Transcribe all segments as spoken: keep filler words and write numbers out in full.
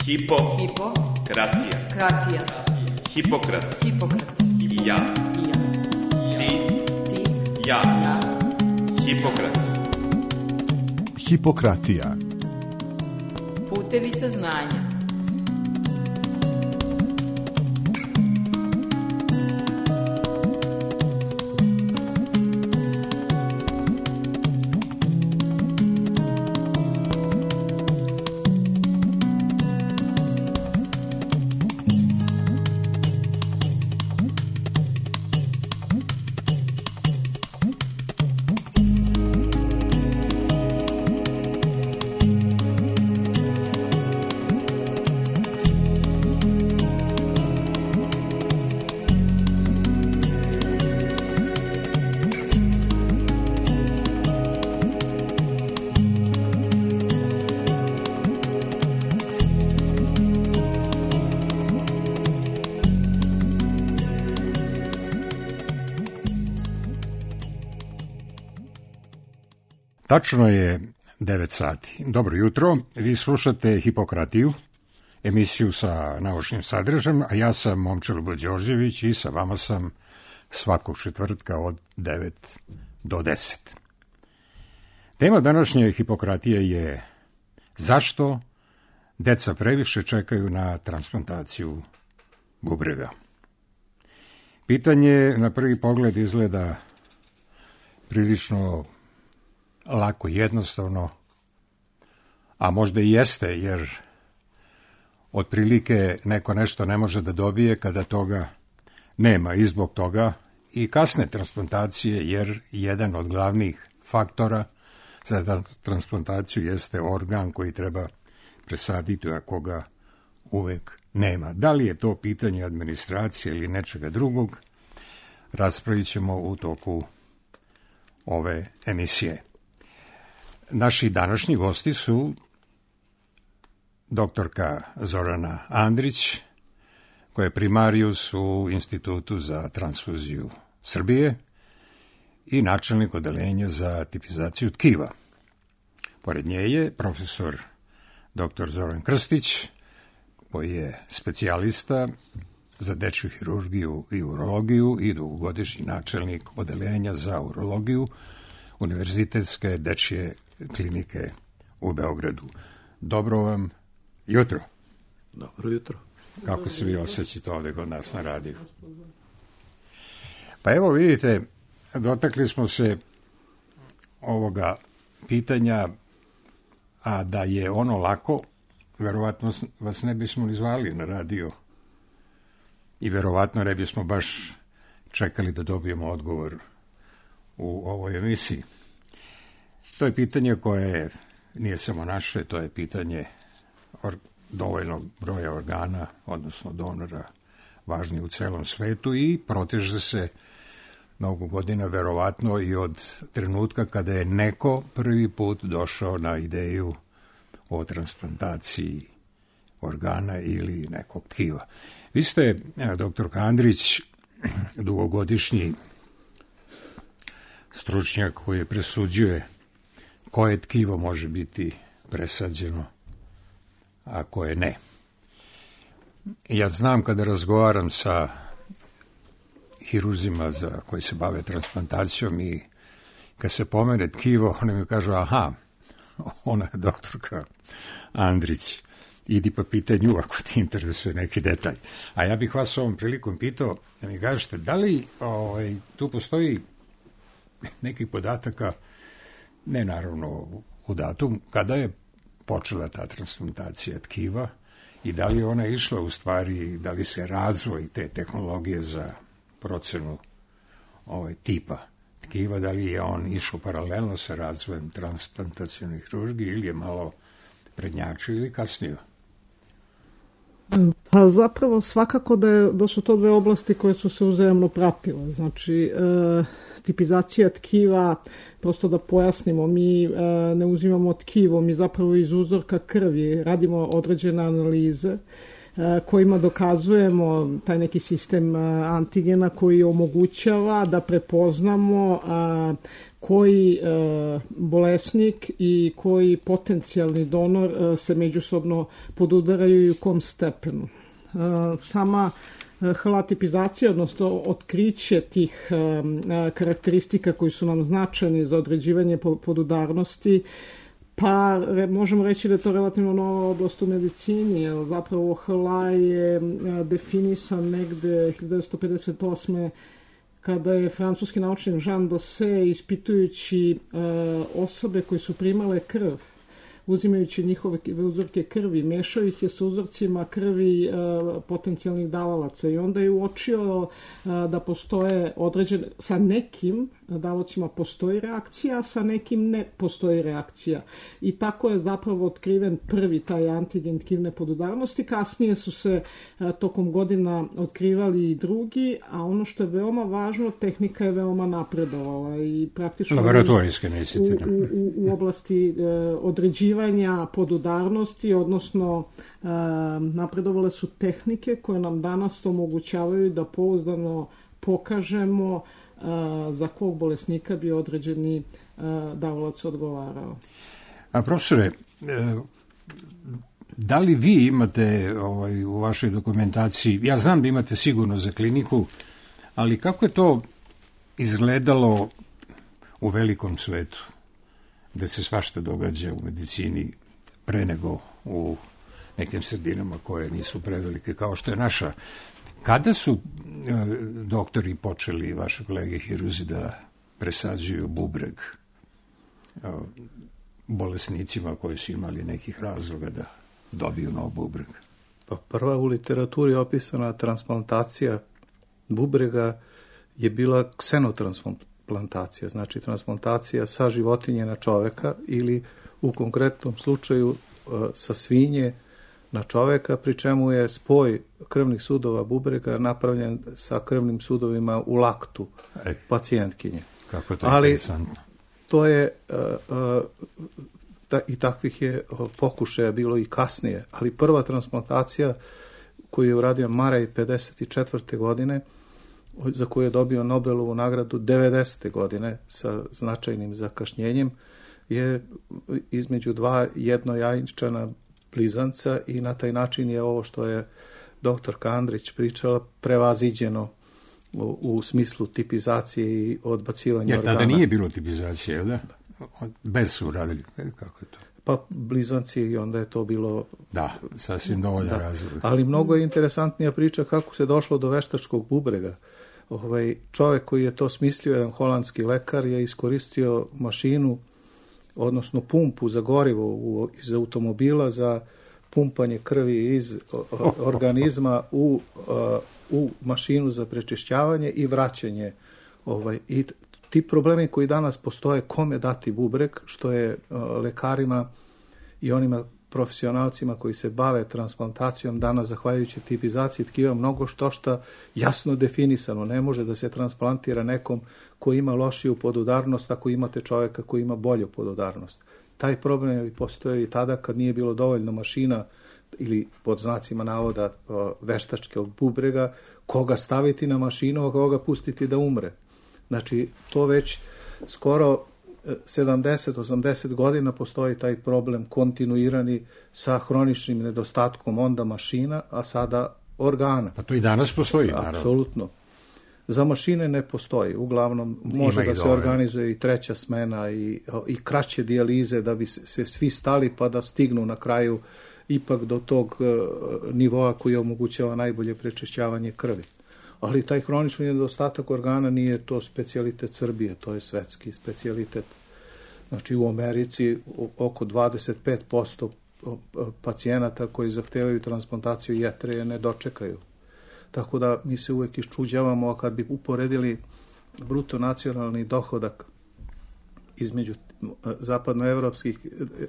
Hipo. Hipo. Kratija. Kratija. Hipokrat. Hipokrat. I ja. I ja. Ti. Ti. Ja. Ja. Hipokrat. Hipokratija. Putevi saznanja. Tačno je devet sati. Dobro jutro, vi slušate Hipokratiju, emisiju sa naučnim sadržajem, a ja sam Momčilo Đorđević i sa vama sam svakog četvrtka od devet do deset. Tema današnje Hipokratije je zašto deca previše čekaju na transplantaciju bubrega. Pitanje na prvi pogled izgleda prilično lako, jednostavno, a možda i jeste, jer otprilike neko nešto ne može da dobije kada toga nema i zbog toga i kasne transplantacije, jer jedan od glavnih faktora za transplantaciju jeste organ koji treba presaditi, a koga uvek nema. Da li je to pitanje administracije ili nečega drugog, raspravit ćemo u toku ove emisije. Naši današnji gosti su doktorka Zorana Andrić, koja je primarijus u Institutu za transfuziju Srbije i načelnik odeljenja za tipizaciju tkiva. Pored nje je profesor doktor Zoran Krstić, koji je specijalista za dečju hirurgiju i urologiju i dugogodišnji načelnik odeljenja za urologiju Univerzitetske dečje klinike u Beogradu. Dobro vam jutro. Dobro jutro. Kako se vi osjećate ovde kod nas na radiju? Pa evo vidite, dotakli smo se ovoga pitanja, a da je ono lako, verovatno vas ne bismo ni zvali na radio i verovatno ne bismo baš čekali da dobijemo odgovor u ovoj emisiji. To je pitanje koje nije samo naše, to je pitanje or, dovoljnog broja organa, odnosno donora, važni u celom svetu i proteže se mnogo godina, verovatno i od trenutka kada je neko prvi put došao na ideju o transplantaciji organa ili nekog tkiva. Vi ste, doktor Andrić, dugogodišnji stručnjak koji presuđuje koje tkivo može biti presađeno, a koje ne. Ja znam kada razgovaram sa hirurzima za koji se bave transplantacijom i kad se pomene tkivo, oni mi kažu, aha, ona je doktorka Andrić, idi pa pitaj nju ako ti interesuje neki detalj. A ja bih vas ovom prilikom pitao da mi kažete, da li ovaj, tu postoji nekih podataka, ne naravno u datum, kada je počela ta transplantacija tkiva i da li je ona išla u stvari, da li se razvoj te tehnologije za procenu ovaj, tipa tkiva, da li je on išao paralelno sa razvojem transplantacione hirurgije ili je malo prednjačio ili kasnije? Pa zapravo svakako da, je, da su to dve oblasti koje su se uzajamno pratile. Znači, e, tipizacija tkiva, prosto da pojasnimo, mi e, ne uzimamo tkivo, mi zapravo iz uzorka krvi radimo određene analize kojima dokazujemo taj neki sistem antigena koji omogućava da prepoznamo koji bolesnik i koji potencijalni donor se međusobno podudaraju i u kom stepenu. Sama halatipizacija, odnosno otkriće tih karakteristika koji su nam značajni za određivanje podudarnosti, pa možemo reći da je to relativno nova oblast u medicini, jer zapravo H L A je definisan negde hiljadu devetsto pedeset osme kada je francuski naučnik Jean Dosset, ispitujući osobe koje su primale krv, uzimajući njihove uzorke krvi, mešao ih je sa uzorcima krvi potencijalnih davalaca i onda je uočio da postoje određene, sa nekim davalcima postoji reakcija, a sa nekim ne postoji reakcija. I tako je zapravo otkriven prvi taj antigen tkivne podudarnosti. Kasnije su se tokom godina otkrivali i drugi, a ono što je veoma važno, tehnika je veoma napredovala i praktično laboratorijske mislite u, u, u oblasti e, određivanja podudarnosti, odnosno e, napredovale su tehnike koje nam danas omogućavaju da pouzdano pokažemo za kog bolesnika bi određeni davalac odgovarao. A profesore, da li vi imate ovaj, u vašoj dokumentaciji, ja znam da imate sigurno za kliniku, ali kako je to izgledalo u velikom svetu, da se svašta događa u medicini pre nego u nekim sredinama koje nisu prevelike kao što je naša? Kada su e, doktori počeli, vaše kolege hiruzi, da presađuju bubreg e, bolesnicima koji su imali nekih razloga da dobiju nov bubreg? Pa prva u literaturi opisana transplantacija bubrega je bila ksenotransplantacija, znači transplantacija sa životinje na čoveka ili u konkretnom slučaju e, sa svinje na čoveka, pri čemu je spoj krvnih sudova bubrega napravljen sa krvnim sudovima u laktu e, pacijentkinje. Kako je to Ali interesantno. To je, uh, uh, ta, i takvih je uh, pokušaja bilo i kasnije, ali prva transplantacija koju je uradio Murray pedeset četvrte godine, za koju je dobio Nobelovu nagradu devedesete godine sa značajnim zakašnjenjem, je između dva jednojajčana blizanca i na taj način je ovo što je doktorka Andrić pričala prevaziđeno u, u smislu tipizacije i odbacivanja Jer organa. Jer tada nije bilo tipizacije, da? Bez su radili. Kako je to? Pa blizanci i onda je to bilo... Da, sasvim dovoljan razlog. Ali mnogo je interesantnija priča kako se došlo do veštačkog bubrega. Ovaj, čovjek koji je to smislio, jedan holandski lekar, je iskoristio mašinu, odnosno pumpu za gorivo u, iz automobila za pumpanje krvi iz o, organizma u, a, u mašinu za prečišćavanje i vraćanje. Ovaj, i ti problemi koji danas postoje, kome dati bubreg, što je a, lekarima i onima profesionalcima koji se bave transplantacijom danas, zahvaljujući tipizaciji tkiva, mnogo što šta jasno definisano. Ne može da se transplantira nekom koji ima lošiju podudarnost ako imate čovjeka koji ima bolju podudarnost. Taj problem je postoje i tada kad nije bilo dovoljno mašina ili pod znacima navoda veštačkog bubrega, koga staviti na mašinu, a koga pustiti da umre. Znači, to već skoro sedamdeset osamdeset godina postoji taj problem kontinuirani sa hroničnim nedostatkom onda mašina, a sada organa. Pa to i danas postoji, naravno. Apsolutno. Za mašine ne postoji. Uglavnom može da se dovoljno organizuje i treća smena i, i kraće dijalize da bi se svi stali pa da stignu na kraju ipak do tog nivoa koji omogućava najbolje prečišćavanje krvi. Ali taj hronični nedostatak organa nije to specijalitet Srbije, to je svetski specijalitet. Znači u Americi oko dvadeset pet posto pacijenata koji zahtevaju transplantaciju jetre ne dočekaju. Tako da mi se uvek iščuđavamo, a kad bi uporedili bruto nacionalni dohodak između zapadnoevropskih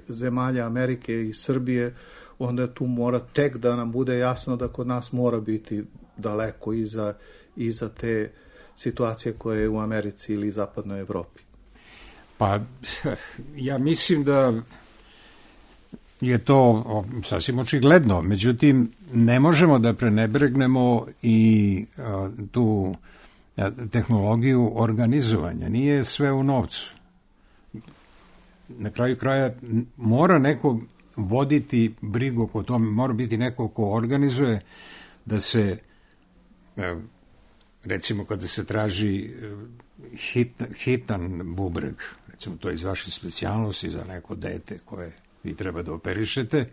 zemalja Amerike i Srbije, onda tu mora tek da nam bude jasno da kod nas mora biti daleko iza, iza te situacije koje je u Americi ili zapadnoj Evropi. Pa ja mislim da je to o, sasvim očigledno. Međutim, ne možemo da prenebregnemo i a, tu a, tehnologiju organizovanja. Nije sve u novcu. Na kraju kraja mora neko voditi brigu oko tome, mora biti neko ko organizuje da se, recimo kada se traži hit, hitan bubreg, recimo to je iz vaše specijalnosti za neko dete koje vi treba da operišete,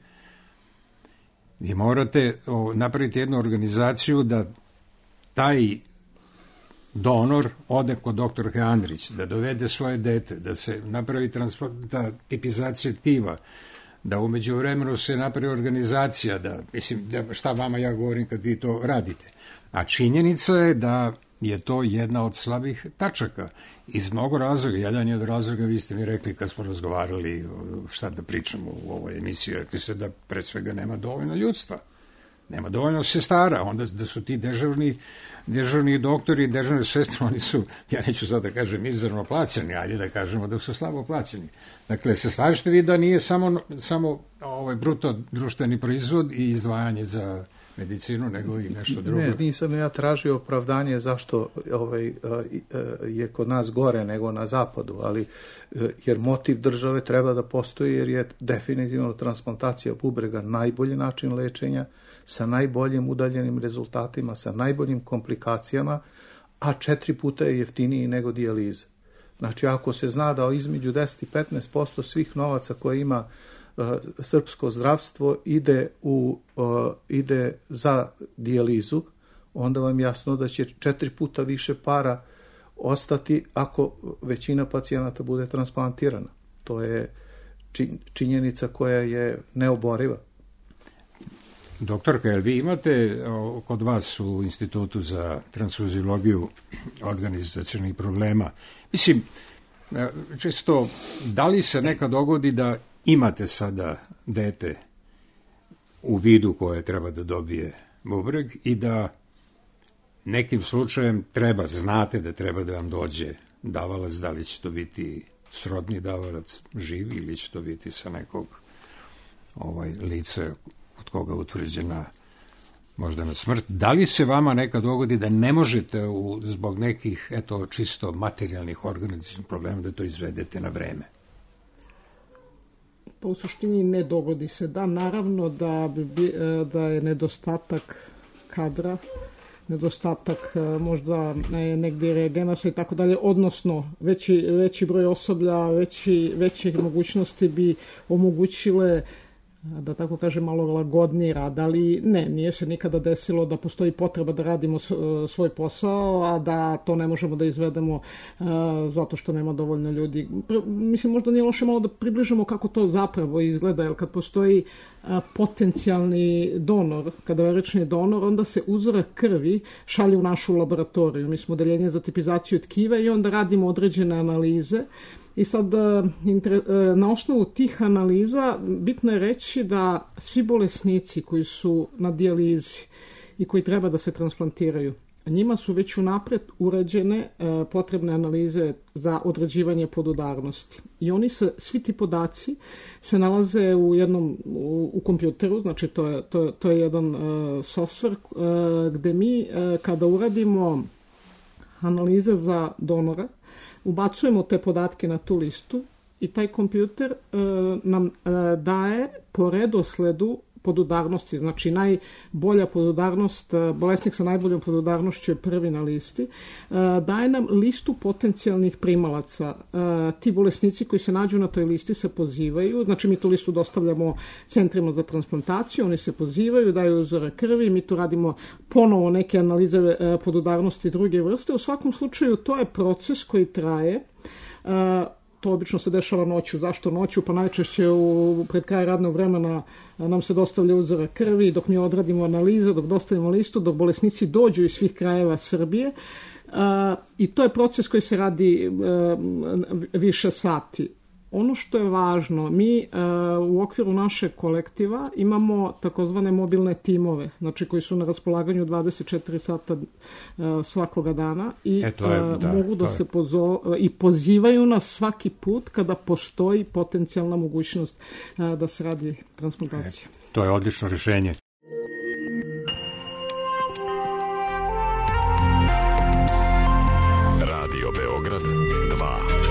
vi morate napraviti jednu organizaciju da taj donor ode kod doktorke Andrić, da dovede svoje dete, da se napravi ta tipizacija tkiva, da umeđu vremenu se napravi organizacija, da, mislim, da, šta vama ja govorim kad vi to radite. A činjenica je da je to jedna od slabih tačaka. Iz mnogo razloga, jedan je od razloga, vi ste mi rekli kad smo razgovarali šta da pričamo u ovoj emisiji, rekli ste da pre svega nema dovoljno ljudstva. Nema dovoljno sestara, onda da su ti dežurni, dežurni doktori, dežurne sestre, oni su, ja neću sad da kažem mizerno plaćeni, ajde da kažemo da su slabo plaćeni. Dakle, se slažete vi da nije samo, samo ovaj bruto društveni proizvod i izdvajanje za medicinu, nego i nešto drugo? Ne, nisam ja tražio opravdanje zašto ovaj, je kod nas gore nego na zapadu, ali jer motiv države treba da postoji, jer je definitivno transplantacija bubrega najbolji način lečenja, sa najboljim udaljenim rezultatima, sa najboljim komplikacijama, a četiri puta je jeftiniji nego dijaliza. Znači, ako se zna da između deset i petnaest posto svih novaca koje ima uh, srpsko zdravstvo ide, u, uh, ide za dijalizu, onda vam jasno da će četiri puta više para ostati ako većina pacijenata bude transplantirana. To je činjenica koja je neoboriva. Doktorka, jel vi imate kod vas u Institutu za transfuziologiju organizacionih problema? Mislim, često, da li se nekad dogodi da imate sada dete u vidu koje treba da dobije bubreg i da nekim slučajem treba, znate da treba da vam dođe davalac, da li će to biti srodni davalac živi ili će to biti sa nekog ovaj, lice od koga je utvrđena možda na smrt. Da li se vama nekad dogodi da ne možete u, zbog nekih eto čisto materijalnih organizacijskih problema da to izvedete na vreme? Pa u suštini ne dogodi se. Da, naravno da, bi, da je nedostatak kadra, nedostatak možda negdje reagenasa i tako dalje, odnosno veći, veći broj osoblja, veći, veće mogućnosti bi omogućile, da tako kažem, malo lagodniji rad, ali ne, nije se nikada desilo da postoji potreba da radimo svoj posao, a da to ne možemo da izvedemo uh, zato što nema dovoljno ljudi. Mislim, možda nije loše malo da približimo kako to zapravo izgleda, jer kad postoji uh, potencijalni donor, kadaverični donor, onda se uzorak krvi šalje u našu laboratoriju. Mi smo odeljenje za tipizaciju tkiva i onda radimo određene analize. I sad, na osnovu tih analiza bitno je reći da svi bolesnici koji su na dijalizi i koji treba da se transplantiraju, njima su već unapred urađene potrebne analize za određivanje podudarnosti. I oni se, svi ti podaci se nalaze u jednom, u, u kompjuteru, znači to je, to, to je jedan uh, software uh, gde mi uh, kada uradimo analize za donora, ubacujemo te podatke na tu listu i taj kompjuter e, nam e, daje po redosledu podudarnosti, znači najbolja podudarnost, bolesnik sa najboljom podudarnošću je prvi na listi, e, daje nam listu potencijalnih primalaca. E, ti bolesnici koji se nađu na toj listi se pozivaju, znači mi tu listu dostavljamo centrima za transplantaciju, oni se pozivaju, daju uzore krvi, mi tu radimo ponovo neke analize e, podudarnosti druge vrste. U svakom slučaju to je proces koji traje. E, To obično se dešava noću. Zašto noću? Pa najčešće u, pred kraj radnog vremena nam se dostavlja uzora krvi, dok mi odradimo analize, dok dostavimo listu, dok bolesnici dođu iz svih krajeva Srbije. Uh, I to je proces koji se radi uh, više sati. ono što je važno, mi uh, u okviru našeg kolektiva imamo takozvane mobilne timove, znači koji su na raspolaganju dvadeset četiri sata uh, svakoga dana i e, to je, uh, da, mogu da to je. se pozo i pozivaju nas svaki put kada postoji potencijalna mogućnost uh, da se radi transplantacija. E, to je odlično rješenje. Radio Beograd dva.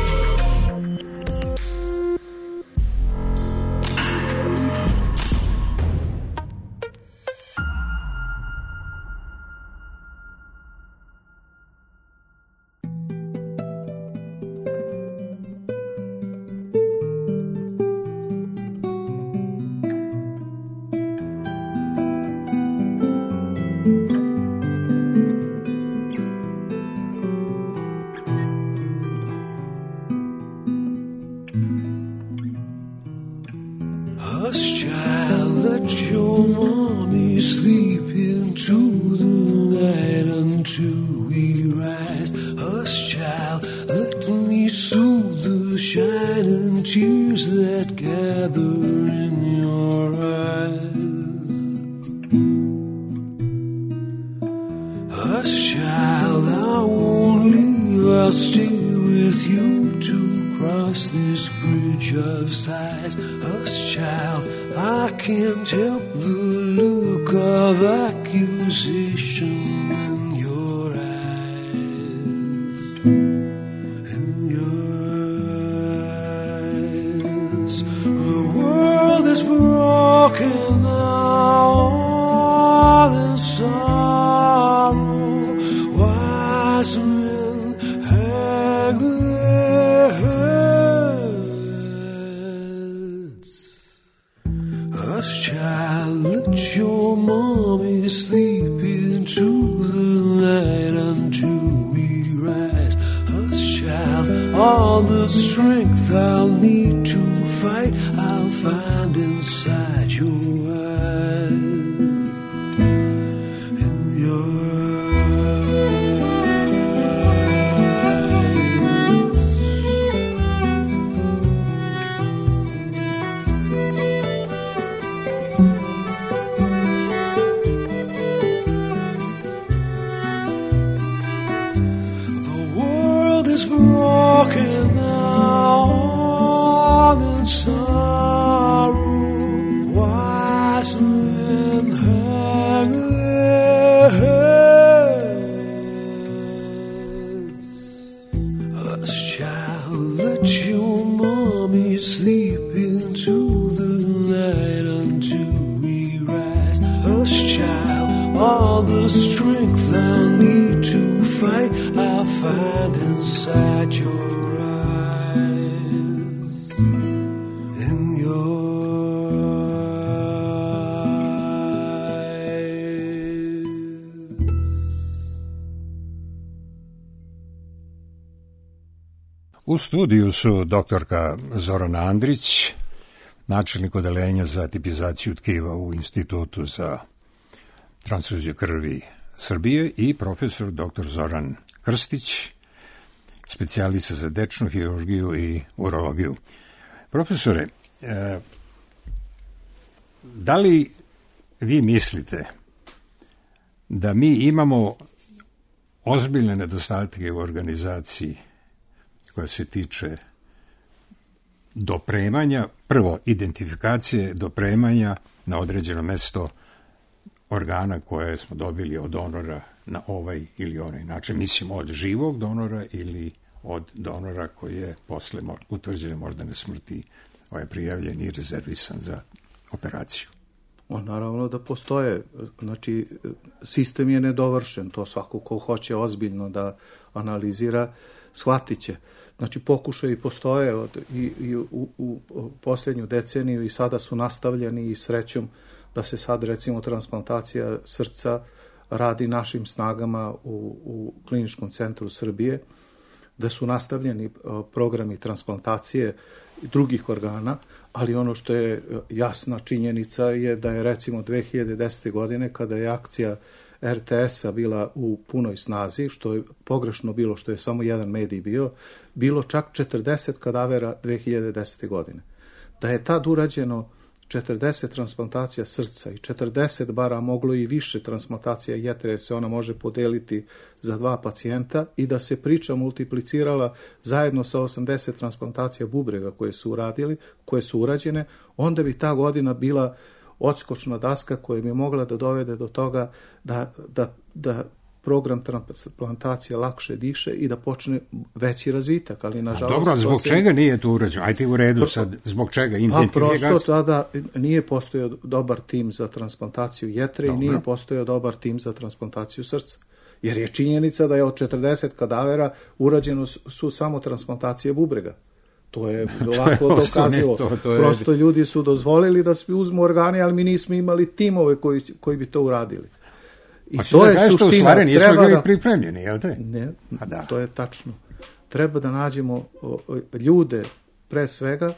U studiju su doktorka Zorana Andrić, načelnik odeljenja za tipizaciju tkiva u Institutu za transfuziju krvi Srbije i profesor doktor Zoran Krstić, specijalista za dečnu hirurgiju i urologiju. Profesore, eh, da li vi mislite da mi imamo ozbiljne nedostatke u organizaciji koja se tiče dopremanja, prvo identifikacije dopremanja na određeno mesto organa koje smo dobili od donora na ovaj ili onaj način, mislim od živog donora ili od donora koji je posle utvrđene moždane smrti ovaj prijavljen i rezervisan za operaciju. O, naravno da postoje, znači sistem je nedovršen, to svako ko hoće ozbiljno da analizira, shvatit će. Znači pokušaji postoje od, i, i u, u, u posljednju deceniju i sada su nastavljeni i srećom da se sad recimo transplantacija srca radi našim snagama u, u Kliničkom centru Srbije, da su nastavljeni programi transplantacije drugih organa, ali ono što je jasna činjenica je da je recimo dve hiljade desete. godine kada je akcija er te esa bila u punoj snazi, što je pogrešno bilo, što je samo jedan medij bio, bilo čak četrdeset kadavera dve hiljade desete. godine. Da je tad urađeno četrdeset transplantacija srca i četrdeset bara, moglo i više transplantacija jetre, jer se ona može podeliti za dva pacijenta, i da se priča multiplicirala zajedno sa osamdeset transplantacija bubrega koje su uradili, koje su urađene, onda bi ta godina bila odskočna daska koja bi mogla da dovede do toga da, da, da program transplantacije lakše diše i da počne veći razvitak, ali nažalost... Dobro, zbog se... čega nije to urađeno? Ajde u redu sad, zbog čega? Pa prosto tada nije postojao dobar tim za transplantaciju jetre. Dobro. I nije postojao dobar tim za transplantaciju srca. Jer je činjenica da je od četrdeset kadavera urađeno su samo transplantacije bubrega. To je lako dokazilo. To, to je... Prosto ljudi su dozvolili da svi uzmu organe, ali mi nismo imali timove koji, koji bi to uradili. I pa to je suština. U stvari nismo bili pripremljeni, jel te? Ne, da. To je tačno. Treba da nađemo ljude pre svega,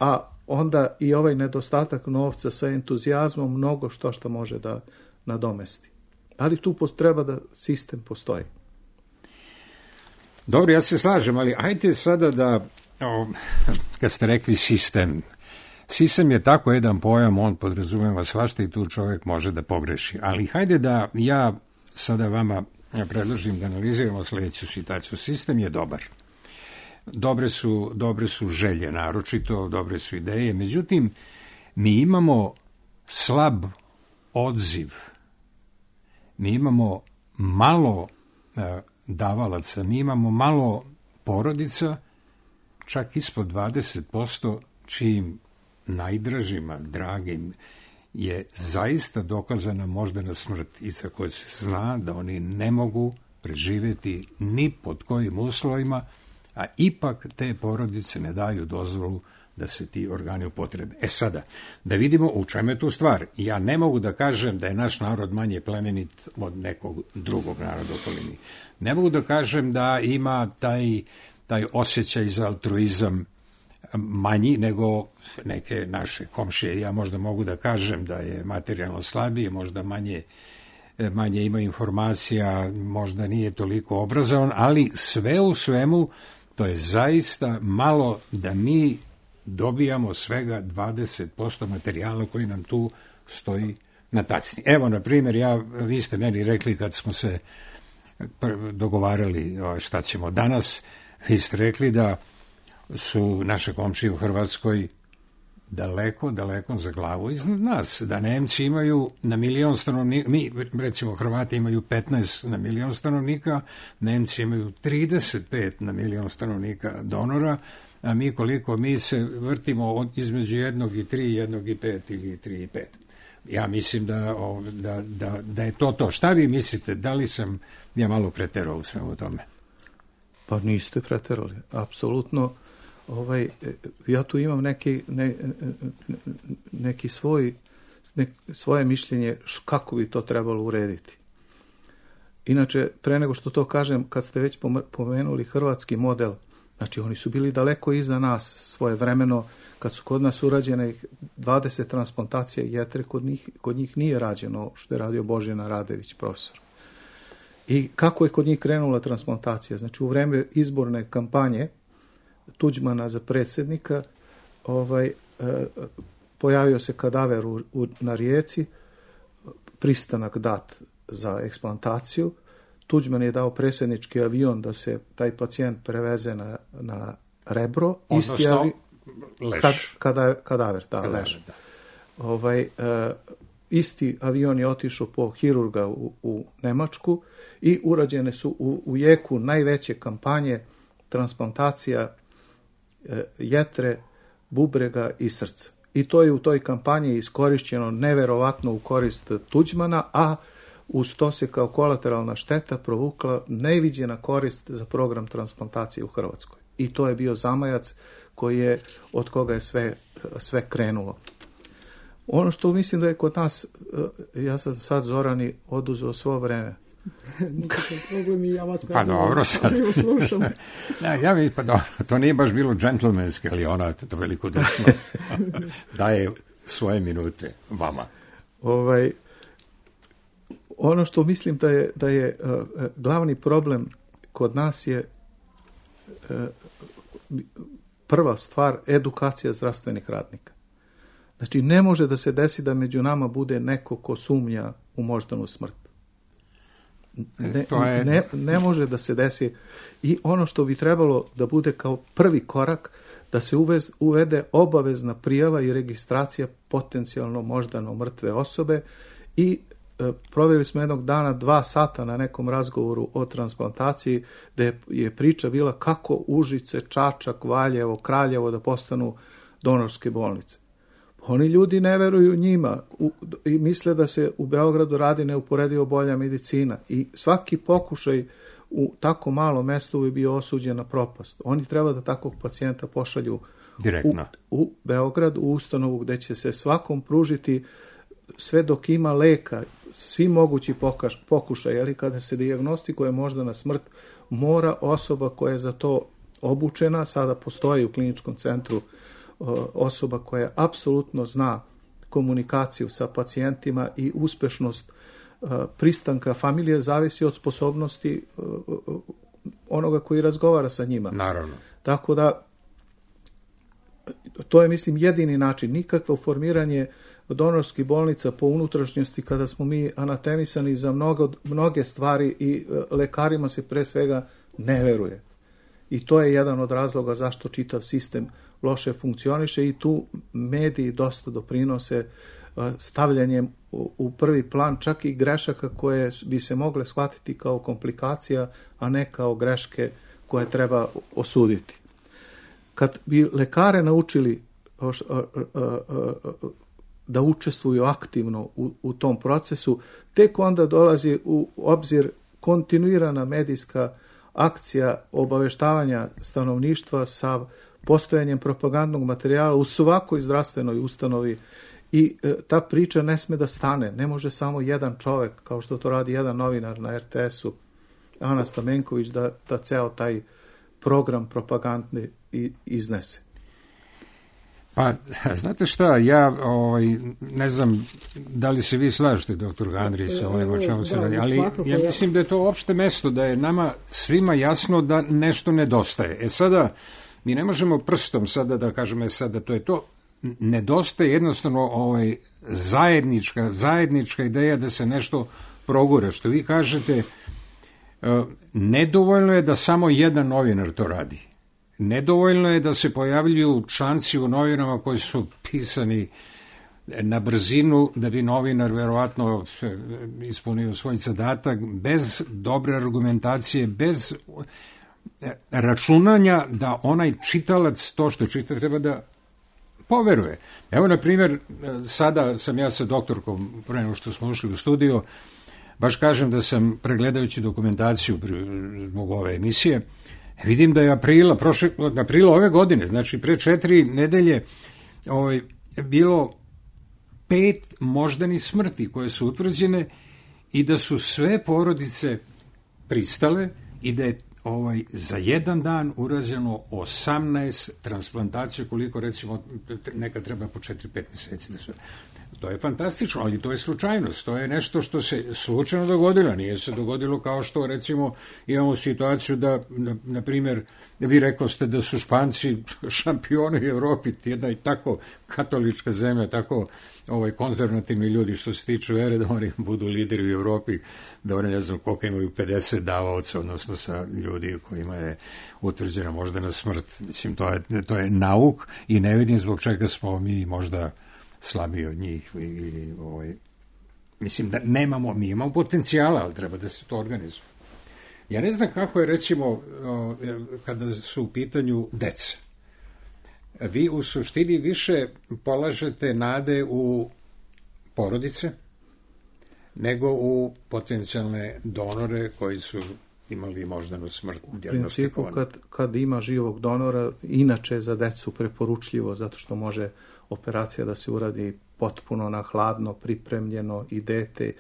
a onda i ovaj nedostatak novca sa entuzijazmom mnogo što što može da nadomesti. Ali tu treba da sistem postoji. Dobro, ja se slažem, ali ajte sada da, o, kad ste rekli sistem, sistem je tako jedan pojam, on podrazumeva svašta i tu čovjek može da pogreši. Ali hajde da ja sada vama predložim da analiziramo sljedeću situaciju. Sistem je dobar. Dobre su, dobre su želje, naročito, dobre su ideje. Međutim, mi imamo slab odziv. Mi imamo malo e, davalaca, mi imamo malo porodica, čak ispod dvadeset posto, čijim najdražima, dragim, je zaista dokazana moždana smrt i za koju se zna da oni ne mogu preživjeti ni pod kojim uslovima, a ipak te porodice ne daju dozvolu da se ti organi upotrebe. E sada, da vidimo u čemu je tu stvar. Ja ne mogu da kažem da je naš narod manje plemenit od nekog drugog naroda u okolini. Ne mogu da kažem da ima taj, taj osjećaj za altruizam manji nego neke naše komšije. Ja možda mogu da kažem da je materijalno slabije, možda manje, manje ima informacija, možda nije toliko obrazovan, ali sve u svemu to je zaista malo da mi dobijamo svega dvadeset posto materijala koji nam tu stoji na tacni. Evo, na primjer, ja, vi ste meni rekli kad smo se dogovarali šta ćemo danas, vi ste rekli da su naše komšije u Hrvatskoj daleko, daleko za glavu iznad nas, da Nemci imaju na milion stanovnika, mi recimo Hrvati imaju petnaest na milion stanovnika, Nemci imaju trideset pet na milion stanovnika donora, a mi koliko mi se vrtimo od, između jednog i tri, jednog i pet ili tri i pet. Ja mislim da, da, da, da je to to. Šta vi mislite? Da li sam ja malo preterao u svemu tome? Pa niste preterali, apsolutno. Ovaj, ja tu imam neki, ne, neki svoj, ne, svoje mišljenje kako bi to trebalo urediti. Inače, pre nego što to kažem, kad ste već pomenuli hrvatski model, znači oni su bili daleko iza nas svoje vremeno, kad su kod nas urađene dvadeset transplantacija jetre, kod njih, kod njih nije rađeno što je radio Božena Radević, profesor. I kako je kod njih krenula transplantacija? Znači u vreme izborne kampanje Tuđmana za predsjednika ovaj, e, pojavio se kadaver u, u, na Rijeci, pristanak dat za eksplantaciju. Tuđman je dao predsjednički avion da se taj pacijent preveze na, na Rebro. Odnosno, isti avi... leš. Kad, kada, kadaver, da, kadaver, leš. Da. Ovaj, e, isti avion je otišao po hirurga u, u Nemačku i urađene su u, u jeku najveće kampanje transplantacija e, jetre, bubrega i srca. I to je u toj kampanji iskorišćeno neverovatno u korist Tuđmana, a uz to se kao kolateralna šteta provukla neviđena korist za program transplantacije u Hrvatskoj. I to je bio zamajac koji je, od koga je sve, sve krenulo. Ono što mislim da je kod nas, ja sam sad Zorani oduzeo svo vreme. Nikakav problem i ja vas pa dobro sad. Ja, ja mi, pa dobro, to nije baš bilo džentlmenski, ali ona to veliko desno daje svoje minute vama. Ovaj, ono što mislim da je, da je uh, glavni problem kod nas je uh, prva stvar edukacija zdravstvenih radnika. Znači, ne može da se desi da među nama bude neko ko sumnja u moždanu smrt. Ne, to je... ne, ne može da se desi. I ono što bi trebalo da bude kao prvi korak, da se uvez, uvede obavezna prijava i registracija potencijalno moždano mrtve osobe i e, provjerili smo jednog dana dva sata na nekom razgovoru o transplantaciji, gde je priča bila kako Užice, Čačak, Valjevo, Kraljevo da postanu donorske bolnice. Oni ljudi ne veruju njima u, i misle da se u Beogradu radi neuporedivo bolja medicina i svaki pokušaj u tako malom mestu bi bio osuđen na propast. Oni treba da takvog pacijenta pošalju direktno u, u Beograd, u ustanovu gde će se svakom pružiti sve dok ima leka, svi mogući pokaš, pokušaj, ali kada se dijagnostikuje moždana smrt, mora osoba koja je za to obučena, sada postoji u kliničkom centru osoba koja apsolutno zna komunikaciju sa pacijentima i uspešnost pristanka familije zavisi od sposobnosti onoga koji razgovara sa njima. Naravno. Tako da to je, mislim, jedini način. Nikakvo formiranje donorskih bolnica po unutrašnjosti kada smo mi anatemisani za mnogo, mnoge stvari i lekarima se pre svega ne veruje. I to je jedan od razloga zašto čitav sistem loše funkcioniše i tu mediji dosta doprinose stavljanjem u prvi plan čak i grešaka koje bi se mogle shvatiti kao komplikacija, a ne kao greške koje treba osuditi. Kad bi lekare naučili da učestvuju aktivno u, u tom procesu, tek onda dolazi u obzir kontinuirana medijska akcija obaveštavanja stanovništva sa postojanjem propagandnog materijala u svakoj zdravstvenoj ustanovi i e, ta priča ne sme da stane. Ne može samo jedan čovek, kao što to radi jedan novinar na er te esu, Ana Stamenković, da, da ceo taj program propagandni i, iznese. Pa, znate šta, ja ovaj, ne znam da li se vi slažete, doktor Gandri, sa ovim o čemu se radi, ali ja mislim da je to opšte mesto, da je nama svima jasno da nešto nedostaje. E sada, mi ne možemo prstom sada da kažemo, sada to je to, nedostaje jednostavno ovaj, zajednička, zajednička ideja da se nešto progura. Što vi kažete, nedovoljno je da samo jedan novinar to radi. Nedovoljno je da se pojavljuju članci u novinama koji su pisani na brzinu da bi novinar verovatno ispunio svoj zadatak bez dobre argumentacije, bez računanja da onaj čitalac to što čita treba da poveruje. Evo, na primjer, sada sam ja sa doktorkom, pre nego što smo ušli u studio, baš kažem da sam, pregledajući dokumentaciju zbog ove emisije, vidim da je aprila, prošle, aprila ove godine, znači pre četiri nedelje, ovaj, bilo pet moždanih smrti koje su utvrđene i da su sve porodice pristale i da je ovaj, za jedan dan urađeno osamnaest transplantacija, koliko recimo nekad treba po četiri pet meseci da se... To je fantastično, ali to je slučajnost, to je nešto što se slučajno dogodilo, nije se dogodilo kao što recimo imamo situaciju da, na, na primjer, vi rekoste da su Španci šampioni u Evropi, jedna i tako katolička zemlja, tako ovaj, konzervativni ljudi što se tiče vere, da oni budu lideri u Evropi, da oni ne znam koliko imaju pedeset davaoca, odnosno sa ljudi kojima je utvrđena moždana smrt. Mislim, to je, to je nauk i ne vidim zbog čega smo mi možda slabiji od njih ili ovaj, mislim da nemamo, mi imamo potencijala, ali treba da se to organizuje. Ja ne znam kako je recimo kada su u pitanju deca. Vi u suštini više polažete nade u porodice nego u potencijalne donore koji su imali moždanu smrt dijagnostikovanu. U principu kad, kad ima živog donora, inače za decu preporučljivo, zato što može operacija da se uradi potpuno na hladno, pripremljeno i dete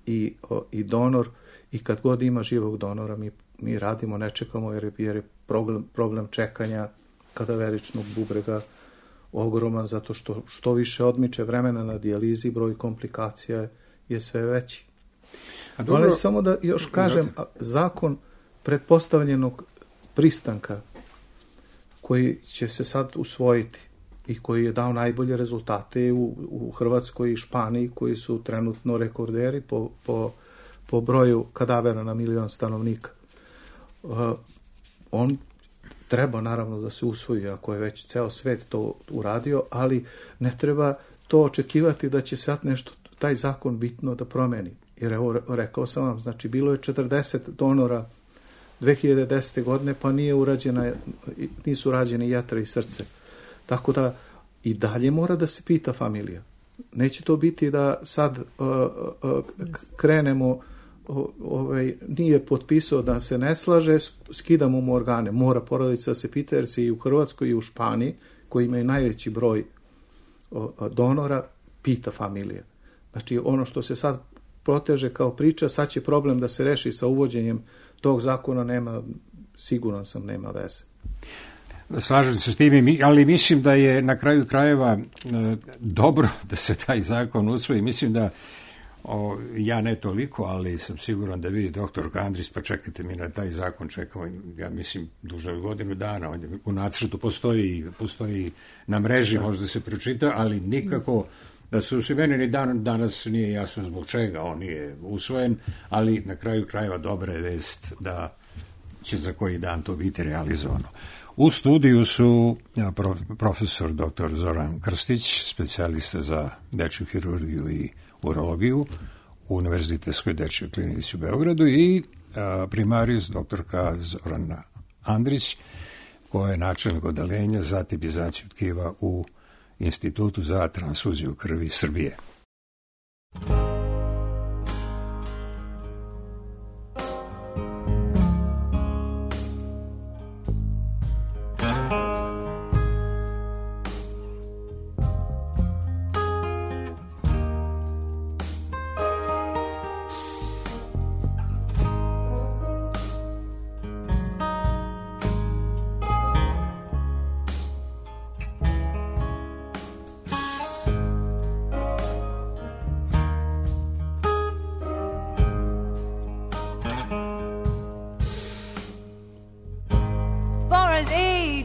i, o, i donor, i kad god ima živog donora mi, mi radimo, ne čekamo jer je, jer je problem, problem čekanja kadaveričnog bubrega ogroman, zato što što više odmiče vremena na dijalizi, broj komplikacija je sve veći. dobro, ali samo da još kažem, zakon pretpostavljenog pristanka koji će se sad usvojiti i koji je dao najbolje rezultate u, u Hrvatskoj i Španiji, koji su trenutno rekorderi po, po, po broju kadavera na milion stanovnika. Uh, on treba naravno da se usvoji, ako je već ceo svet to uradio, ali ne treba to očekivati da će sad nešto, taj zakon bitno da promeni. Jer evo, rekao sam vam, znači bilo je četrdeset donora dve hiljade desete. godine, pa nije urađena, nisu rađene jetra i srce. Tako da i dalje mora da se pita familija. Neće to biti da sad uh, uh, krenemo, uh, ovaj, nije potpisao da se ne slaže, skidamo mu organe. Mora porodica da se pita, jer se i u Hrvatskoj i u Španiji, koji imaju najveći broj uh, donora, pita familija. Znači ono što se sad proteže kao priča, sad će problem da se reši sa uvođenjem tog zakona, nema, siguran sam, nema veze. Slažem se s tim, ali mislim da je na kraju krajeva dobro da se taj zakon usvoji. Mislim da, o, ja ne toliko, ali sam siguran da vi, doktor Andris, pa čekajte, mi na taj zakon čekamo, ja mislim, duže od godinu dana. On je, u nacrtu postoji, postoji na mreži, možda se pročita, ali nikako da se usvoji. Meni ni dan, danas nije jasno zbog čega on nije usvojen, ali na kraju krajeva dobra je vest da će za koji dan to biti realizovano. U studiju su profesor doktor Zoran Krstić, specijalista za dečju hirurgiju i urologiju u Univerzitetskoj dečjoj klinici u Beogradu, i primarijus doktorka Zorana Andrić, koja je načelnik odeljenja za tipizaciju tkiva u Institutu za transfuziju krvi Srbije.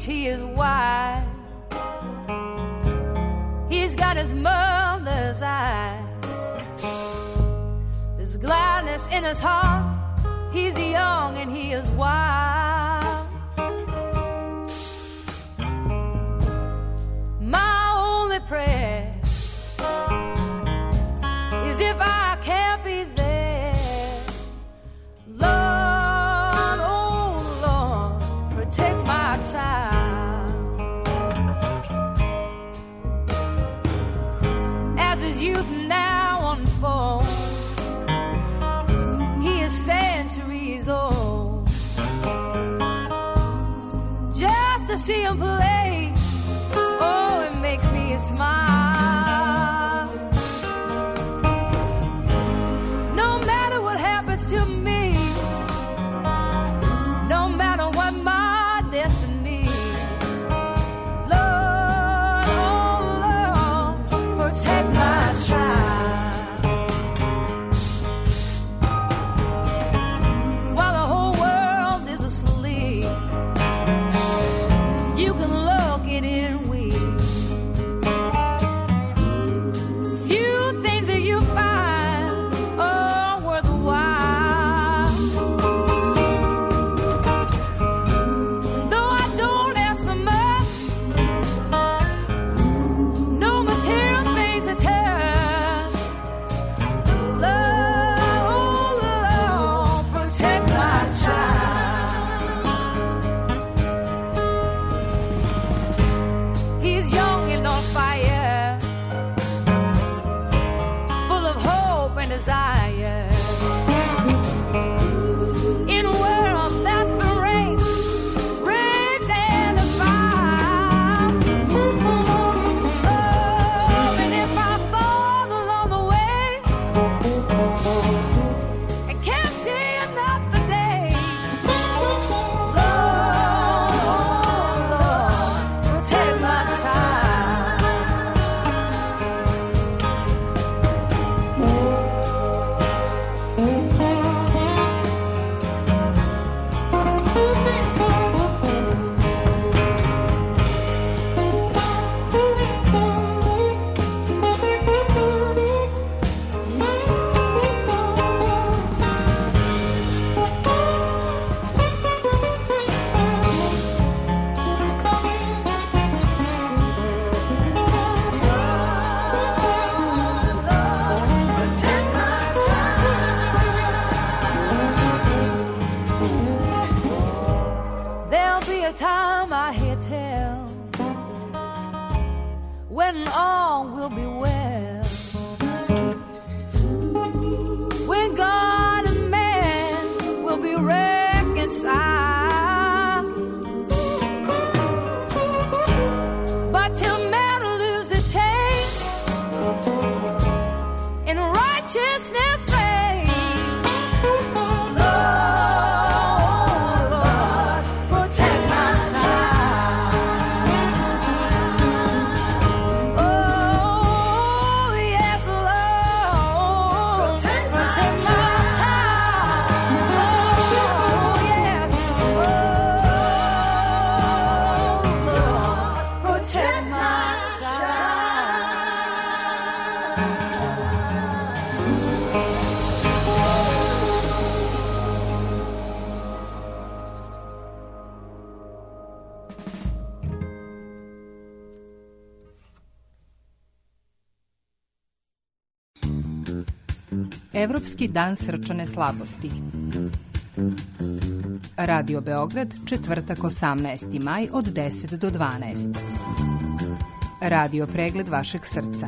He is wise. He's got his mother's eyes. There's gladness in his heart. He's young and he is wild. My only prayer is if I can't be there, Lord, oh Lord, protect my child. Youth now unfold. He is centuries old. Just to see him play, oh, it makes me smile. No matter what happens to me, no matter what my destiny, Lord, oh Lord, protect my while the whole world is asleep. You can look it in we. Few things that you find are worthwhile. and all will be well. When God and man will be reconciled, but till man lose a change in righteousness reigns. Lord, Lord, protect my child. Oh, yes, Lord, protect my child. Oh, yes, oh, Lord, protect my child. Evropski dan srčane slabosti. Radio Beograd, četvrtak osamnaesti maj od deset do dvanaest. Radio pregled vašeg srca.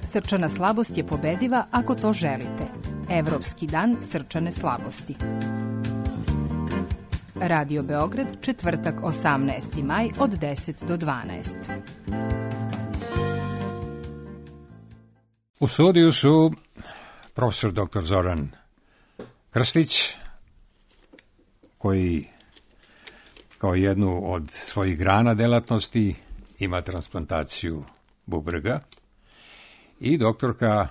Srčana slabost je pobediva ako to želite. Evropski dan srčane slabosti. Radio Beograd, četvrtak osamnaesti maj od deset do dvanaest. U studiju su profesor doktor Zoran Krstić, koji kao jednu od svojih grana delatnosti ima transplantaciju bubrega, i doktorka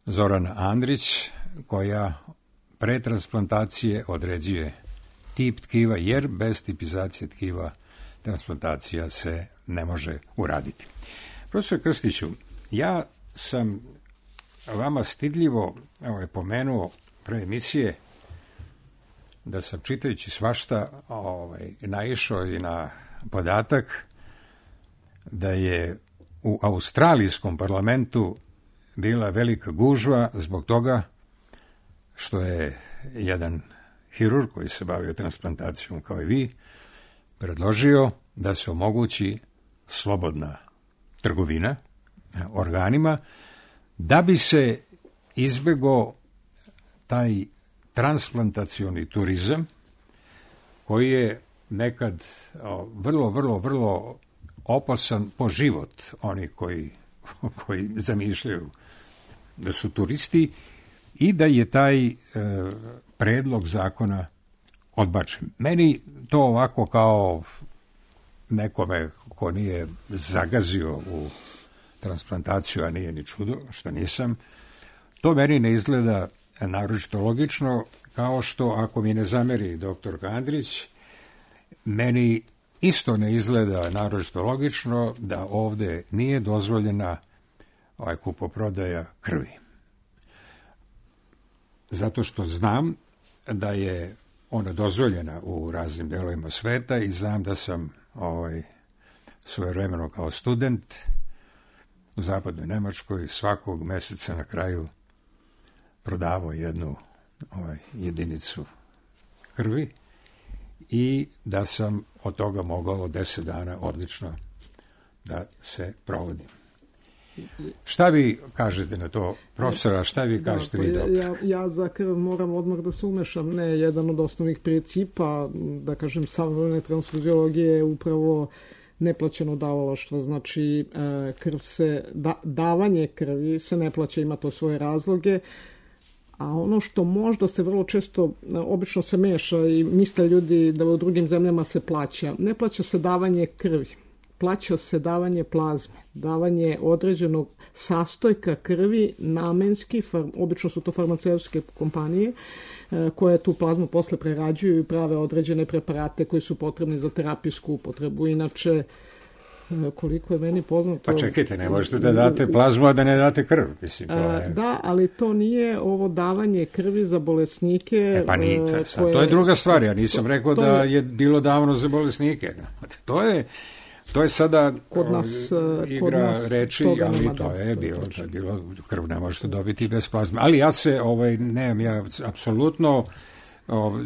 Zorana Andrić, koja pre transplantacije određuje tip tkiva, jer bez tipizacije tkiva transplantacija se ne može uraditi. Profesor Krstiću, ja sam vama stidljivo ovaj, pomenuo pre emisije da sam, čitajući svašta, ovaj, naišao i na podatak da je u australijskom parlamentu bila velika gužva zbog toga što je jedan hirurg koji se bavio transplantacijom kao i vi predložio da se omogući slobodna trgovina organima, da bi se izbegao taj transplantacioni turizam koji je nekad vrlo, vrlo, vrlo opasan po život onih koji, koji zamišljaju da su turisti, i da je taj e, predlog zakona odbačen. Meni to ovako kao nekome ko nije zagazio u transplantaciju, a nije ni čudo što nisam, to meni ne izgleda naročito logično, kao što, ako mi ne zameri doktor Andrić, meni isto ne izgleda naročito logično da ovde nije dozvoljena ovaj kupoprodaja krvi. Zato što znam da je ona dozvoljena u raznim delovima sveta i znam da sam ovaj, svojevremeno kao student u zapadnoj Nemačkoj svakog meseca na kraju prodavao jednu ovaj, jedinicu krvi i da sam od toga mogao deset dana odlično da se provodim. Šta vi kažete na to, profesora, šta vi kažete da, vi, doktor? Ja, ja za krv moram odmah da se umešam. Ne, jedan od osnovnih principa, da kažem, savremene transfuziologije je upravo neplaćeno davalaštvo. Znači, krv se, da, davanje krvi se ne plaća, ima to svoje razloge. A ono što možda se vrlo često, obično se meša i misle ljudi da u drugim zemljama se plaća. Ne plaća se davanje krvi, plaća se davanje plazme, davanje određenog sastojka krvi namenski, obično su to farmaceutske kompanije koje tu plazmu posle prerađuju i prave određene preparate koji su potrebni za terapijsku upotrebu. Inače, koliko je meni poznato... Pa čekajte, ne možete da date plazmu, a da ne date krv. Mislim, to je... Da, ali to nije ovo davanje krvi za bolesnike. E pa nije, to je, koje... to je druga stvar. Ja nisam to, rekao to da je bilo davno za bolesnike. To je... To je sada kod nas, igra kod nas reči, ali to je bilo, to je bilo, krv ne možete dobiti bez plazme. Ali ja se, ovaj, nemam ja apsolutno o,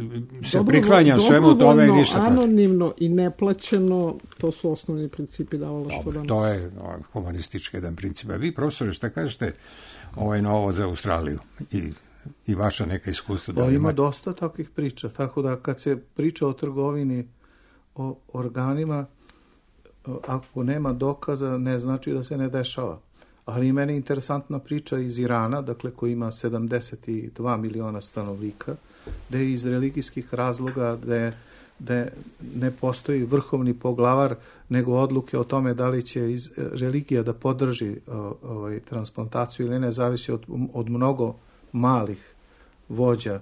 se priklanjam svemu tome i ništa protiv. Anonimno i neplaćeno, to su osnovni principi davalaštva danas. To je o, humanistički jedan princip. A vi, profesore, šta kažete ovaj, na ovo za Australiju i, i vaša neka iskustva? Da ima imate? Dosta takvih priča, tako da kad se priča o trgovini, o organima, ako nema dokaza, ne znači da se ne dešava. Ali i meni je interesantna priča iz Irana, dakle koji ima sedamdeset dva miliona stanovnika, gde iz religijskih razloga, gde, gde ne postoji vrhovni poglavar, nego odluke o tome da li će iz religija da podrži ovaj, transplantaciju ili ne, zavisi od, od mnogo malih vođa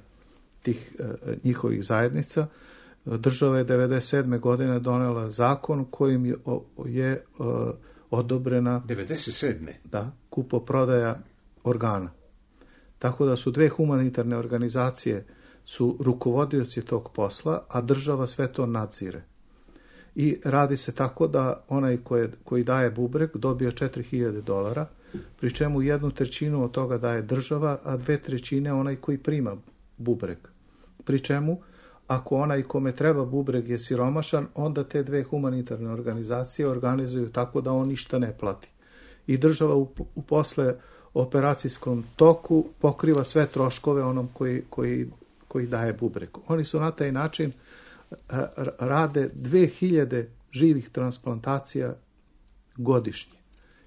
tih njihovih zajednica. Država je devedeset sedme godine donela zakon kojim je, je odobrena devedeset sedme da, kupoprodaja organa. Tako da su dve humanitarne organizacije su rukovodioci tog posla, a država sve to nadzire. I radi se tako da onaj koji, koji daje bubreg dobije četiri hiljade dolara, pri čemu jednu trećinu od toga daje država, a dve trećine onaj koji prima bubreg. Pri čemu, ako onaj kome treba bubreg je siromašan, onda te dve humanitarne organizacije organizuju tako da on ništa ne plati. I država u, u posle operacijskom toku pokriva sve troškove onom koji, koji, koji daje bubreg. Oni su na taj način a, rade dve hiljade živih transplantacija godišnje.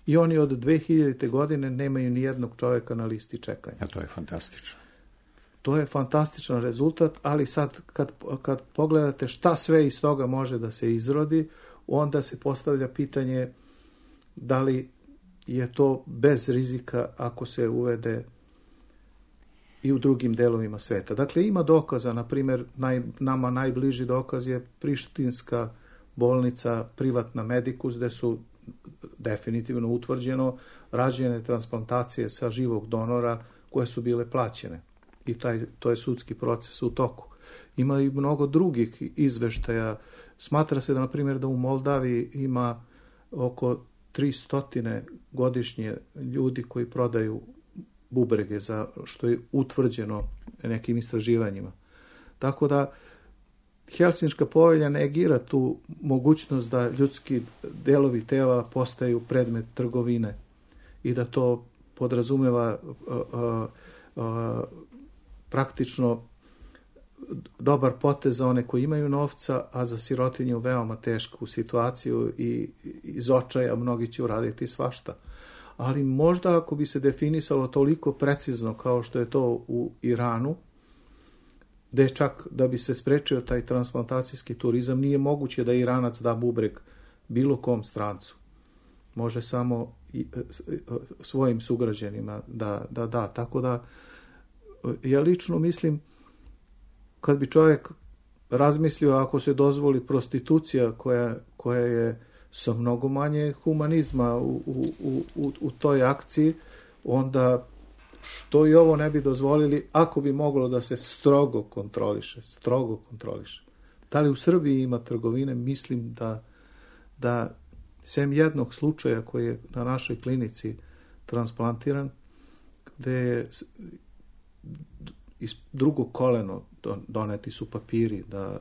I oni od dve hiljadite godine nemaju ni jednog čovjeka na listi čekanja. A to je fantastično. To je fantastičan rezultat, ali sad kad, kad pogledate šta sve iz toga može da se izrodi, onda se postavlja pitanje da li je to bez rizika ako se uvede i u drugim delovima sveta. Dakle, ima dokaza, na primjer, naj, nama najbliži dokaz je Prištinska bolnica Privatna Medikus, gde su definitivno utvrđeno rađene transplantacije sa živog donora koje su bile plaćene. I taj, to je sudski proces u toku. Ima i mnogo drugih izveštaja. Smatra se da, na primjer, da u Moldaviji ima oko tristo godišnje ljudi koji prodaju bubrege, za što je utvrđeno nekim istraživanjima. Tako da Helsinška povelja negira tu mogućnost da ljudski delovi tela postaju predmet trgovine i da to podrazumeva uh, uh, uh, praktično dobar potez za one koji imaju novca, a za sirotinju veoma tešku situaciju i iz očaja mnogi će uraditi svašta. Ali možda ako bi se definisalo toliko precizno kao što je to u Iranu, gde čak da bi se sprečio taj transplantacijski turizam, nije moguće da Iranac da bubreg bilo kom strancu. Može samo svojim sugrađanima da da. da. Tako da ja lično mislim, kad bi čovjek razmislio ako se dozvoli prostitucija koja, koja je sa mnogo manje humanizma u, u, u, u toj akciji, onda što i ovo ne bi dozvolili ako bi moglo da se strogo kontroliše, strogo kontroliše. Da li u Srbiji ima trgovine? Mislim da, da sem jednog slučaja koji je na našoj klinici transplantiran, gde je iz drugog koleno doneti su papiri da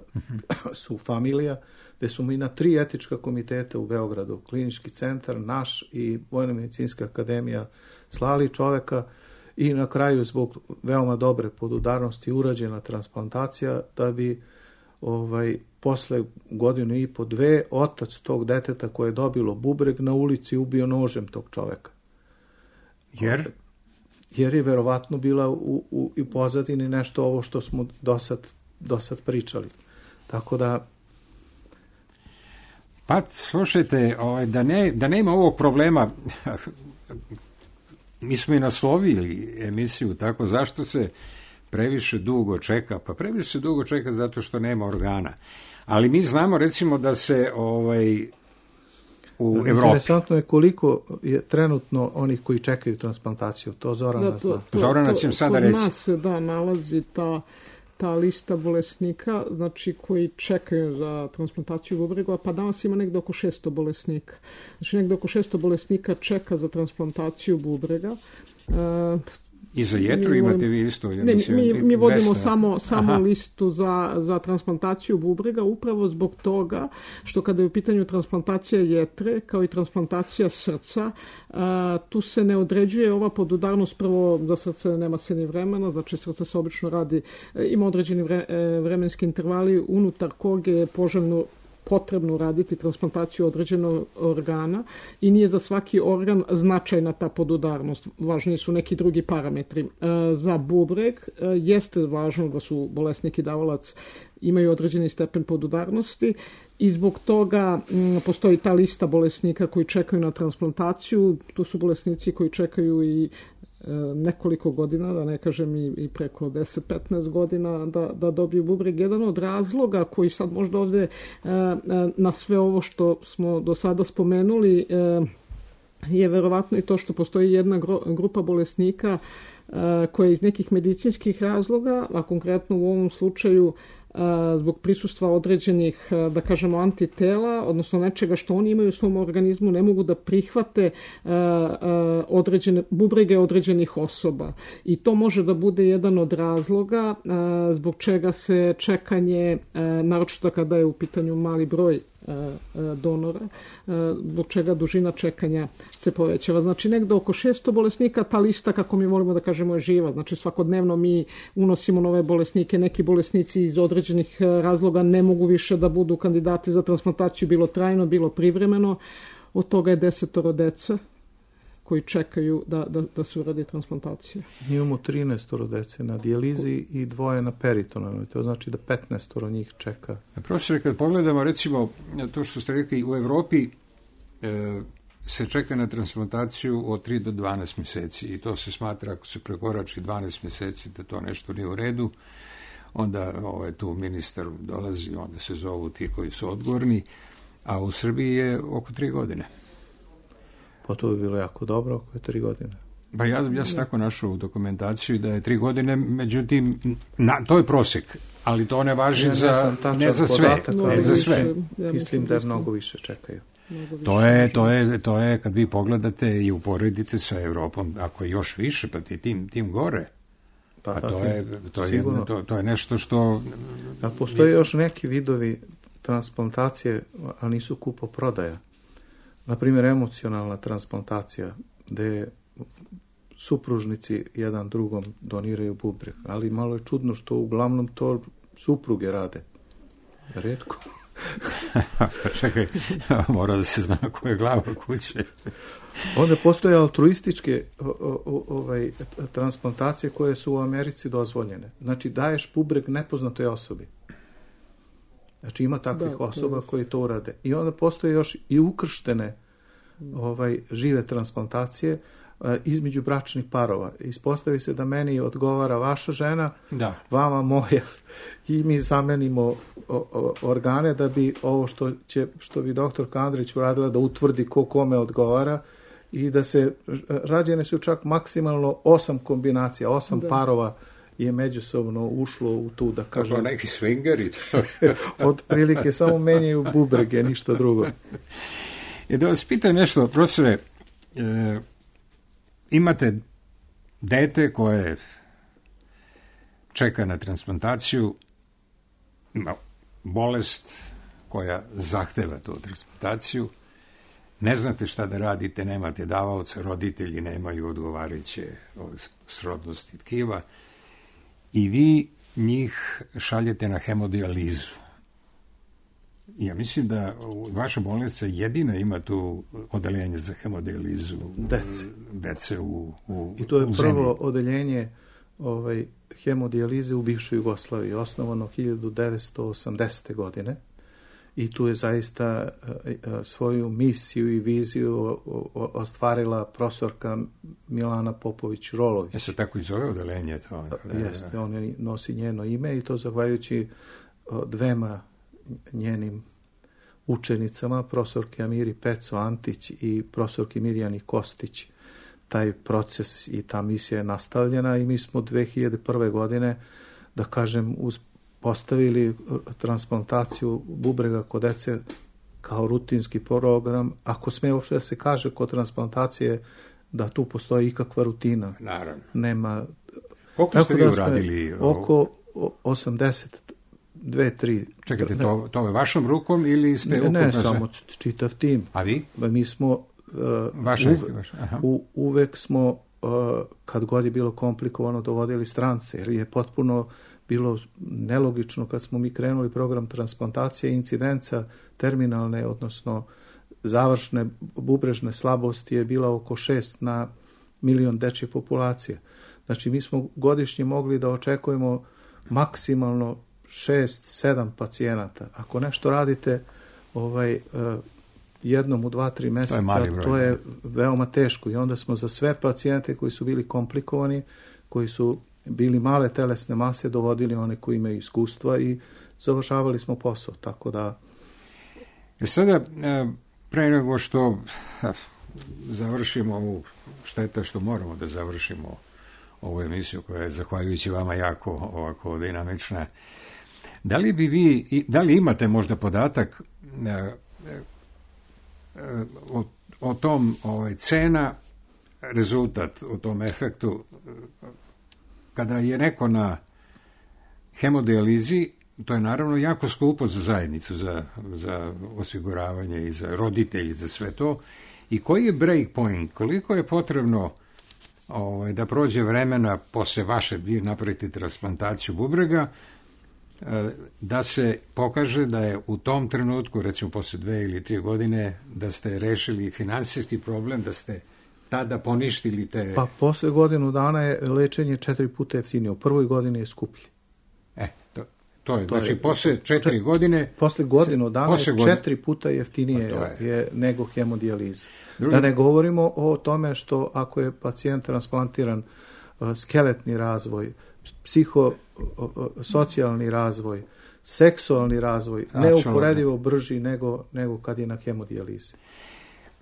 su familija, gde su mi na tri etička komiteta u Beogradu, klinički centar, naš i Vojno-medicinska akademija slali čoveka i na kraju zbog veoma dobre podudarnosti urađena transplantacija da bi ovaj, posle godinu i po dve otac tog deteta koje je dobilo bubreg na ulici ubio nožem tog čoveka. Jer? Jer je verovatno bila u, u, u pozadini nešto ovo što smo do sad, do sad pričali. Tako da... Pa, slušajte, ovaj, da, ne, da nema ovog problema, mi smo i naslovili emisiju tako, zašto se previše dugo čeka? Pa previše se dugo čeka zato što nema organa. Ali mi znamo, recimo, da se ovaj, u Evropi... Interesantno je koliko je trenutno onih koji čekaju transplantaciju. To Zorana da, to, zna. To, Zorana će sada reći. Kod nas se da nalazi ta, ta lista bolesnika, znači koji čekaju za transplantaciju bubrega, pa danas ima negde oko šesto bolesnika. Znači negde oko šesto bolesnika čeka za transplantaciju bubrega. E, I za jetru imate vi isto? Ja ne, mislim, mi, mi vodimo Vesna. samo, samo listu za, za transplantaciju bubrega, upravo zbog toga što kada je u pitanju transplantacija jetre, kao i transplantacija srca, a, tu se ne određuje ova podudarnost, prvo za srce nema se ni vremena, znači srce se obično radi, ima određeni vre, vremenski intervali unutar koga je poželjno potrebno raditi transplantaciju određenog organa i nije za svaki organ značajna ta podudarnost. Važniji su neki drugi parametri. E, za bubreg e, jeste važno da su bolesnik i davalac imaju određeni stepen podudarnosti i zbog toga m, postoji ta lista bolesnika koji čekaju na transplantaciju. Tu su bolesnici koji čekaju i nekoliko godina, da ne kažem i, i preko deset do petnaest godina da, da dobiju bubreg. Jedan od razloga koji sad možda ovde na sve ovo što smo do sada spomenuli je verovatno i to što postoji jedna grupa bolesnika koja iz nekih medicinskih razloga, a konkretno u ovom slučaju zbog prisustva određenih, da kažemo, antitela, odnosno nečega što oni imaju u svom organizmu, ne mogu da prihvate određene bubrege određenih osoba. I to može da bude jedan od razloga zbog čega se čekanje, naročito kada je u pitanju mali broj donora, zbog čega dužina čekanja se povećava. Znači negde oko šesto bolesnika, ta lista, kako mi volimo da kažemo, je živa. Znači svakodnevno mi unosimo nove bolesnike, neki bolesnici iz određenih razloga ne mogu više da budu kandidati za transplantaciju, bilo trajno, bilo privremeno. Od toga je desetoro dece koji čekaju da, da, da se uradi transplantacija. Mi imamo trinaestoro dece na dijalizi i dvoje na peritonalnoj. To znači da petnaestoro njih čeka. Profesore, kad pogledamo recimo to što ste rekli, u Evropi e, se čeka na transplantaciju od tri do dvanaest mjeseci i to se smatra, ako se prekorači dvanaest mjeseci, da to nešto nije u redu. Onda ovaj, tu ministar dolazi, onda se zovu ti koji su odgovorni, a u Srbiji je oko tri godine. Pa to bi bilo jako dobro, oko je tri godine. Pa ja, ja sam tako našao u dokumentaciju da je tri godine, međutim, na, to je prosjek, ali to ne važi ja, za, ne za sve. Podatak, ne za sve. Mislim da je mnogo više čekaju. To je, to je, to je, kad vi pogledate i uporedite sa Evropom, ako je još više, pa ti tim, tim gore. Pa, pa to, je, to, je jedno, to, to je nešto što... A postoje još neki vidovi transplantacije, ali nisu kupoprodaja. Naprimjer, emocionalna transplantacija, gde supružnici jedan drugom doniraju bubreg, ali malo je čudno što uglavnom to supruge rade. Rijetko. Čekaj, mora da se zna ko je glava kuće. Onda postoje altruističke o, o, ovaj, transplantacije koje su u Americi dozvoljene. Znači, daješ bubreg nepoznatoj osobi. Znači, ima takvih da, osoba to koji to urade. I onda postoje još i ukrštene ovaj, žive transplantacije a, između bračnih parova. Ispostavi se da meni odgovara vaša žena, da. Vama moja. I mi zamenimo o, o, organe da bi ovo što, će, što bi doktor Kandrić uradila da utvrdi ko kome odgovara i da se, rađene su čak maksimalno osam kombinacija, osam da. parova je međusobno ušlo u tu, da kažem... Kako neki swingeri. Od prilike samo menjaju bubrege, ništa drugo. I da vas pitam nešto, profesore, e, imate dete koje čeka na transplantaciju, ima bolest koja zahteva tu transplantaciju, ne znate šta da radite, nemate davaoca, roditelji nemaju odgovarajuće srodnosti tkiva, i vi njih šaljete na hemodijalizu. Ja mislim da vaša bolnica jedina ima tu odeljenje za hemodijalizu dece, dece u, u I to je u prvo zemlji. odeljenje ovaj, hemodijalize u bivšoj Jugoslaviji, osnovano hiljadu devetsto osamdesete. godine. I tu je zaista svoju misiju i viziju ostvarila profesorka Milana Popović-Rolović. Jeste tako i zove odeljenje to? Jeste, on nosi njeno ime i to zahvaljujući dvema njenim učenicama, profesorke Amiri Peco Antić i profesorki Mirjani Kostić. Taj proces i ta misija je nastavljena i mi smo dve hiljade prve. godine, da kažem, uz postavili transplantaciju bubrega kod dece kao rutinski program. Ako sme uopšte da se kaže kod transplantacije da tu postoji ikakva rutina. Naravno. Nema... Koliko ste vi da smo uradili? Oko osamdeset dve, tri. Čekajte, to, to je vašom rukom ili ste... Ne, ne, ukupno samo čitav tim. A vi? Mi smo... Uh, Vaša, uve, vaša, aha. U, uvek smo, uh, kad god je bilo komplikovano, dovodili strance, jer je potpuno bilo nelogično kad smo mi krenuli program transplantacije, incidenca terminalne, odnosno završne bubrežne slabosti je bila oko šest na milion dečje populacije. Znači, mi smo godišnje mogli da očekujemo maksimalno šest sedam pacijenata. Ako nešto radite ovaj, jednom u dva tri meseca, to je, to je veoma teško. I onda smo za sve pacijente koji su bili komplikovani, koji su bili male telesne mase, dovodili one koji imaju iskustva i završavali smo posao. Tako da... E sada, pre nego što završimo ovu, šteta što moramo da završimo ovu emisiju koja je, zahvaljujući vama, jako ovako dinamična. Da li bi vi, da li imate možda podatak o, o tom ovaj, cena, rezultat, o tom efektu, kada je neko na hemodijalizi, to je naravno jako skupo za zajednicu, za, za osiguravanje i za roditelji, za sve to. I koji je break point? Koliko je potrebno ovaj, da prođe vremena posle vaše, vi napravite transplantaciju bubrega, da se pokaže da je u tom trenutku, recimo posle dve ili tri godine, da ste rešili finansijski problem, da ste tada poništili te... Pa posle godinu dana je lečenje četiri puta jeftinije. U prvoj godini je skuplji. E, to, to je, to znači je, posle četiri čet, godine... Posle godinu dana posle je godine, četiri puta jeftinije je. je nego hemodijaliza. Drugi... Da ne govorimo o tome što ako je pacijent transplantiran, skeletni razvoj, psihosocijalni razvoj, seksualni razvoj, neuporedivo brži nego, nego kad je na hemodijalizi.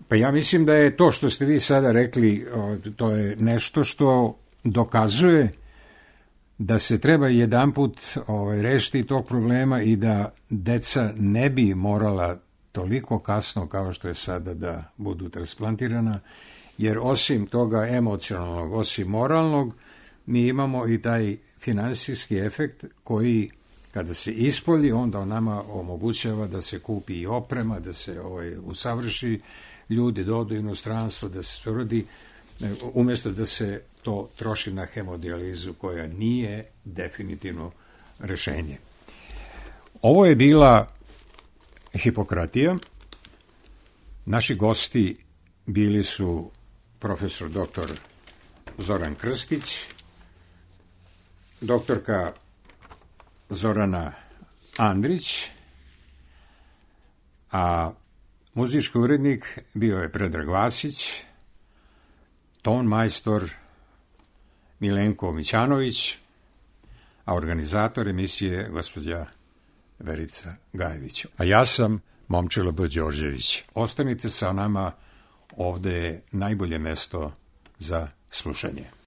Pa ja mislim da je to što ste vi sada rekli, to je nešto što dokazuje da se treba jedanput ovaj, rešiti tog problema i da deca ne bi morala toliko kasno kao što je sada da budu transplantirana, jer osim toga emocionalnog, osim moralnog, mi imamo i taj finansijski efekt koji, kada se ispolji, onda on nama omogućava da se kupi i oprema, da se ovaj, usavrši ljudi, da odu u inostranstvo, da se rodi, umjesto da se to troši na hemodijalizu koja nije definitivno rešenje. Ovo je bila Hipokratija. Naši gosti bili su profesor doktor Zoran Krstić, doktorka Zorana Andrić, a muzički urednik bio je Predrag Vasić, ton majstor Milenko Mićanović, a organizator emisije gospođa Verica Gajević. A ja sam Momčilo B. Đorđević. Ostanite sa nama, ovde je najbolje mesto za slušanje.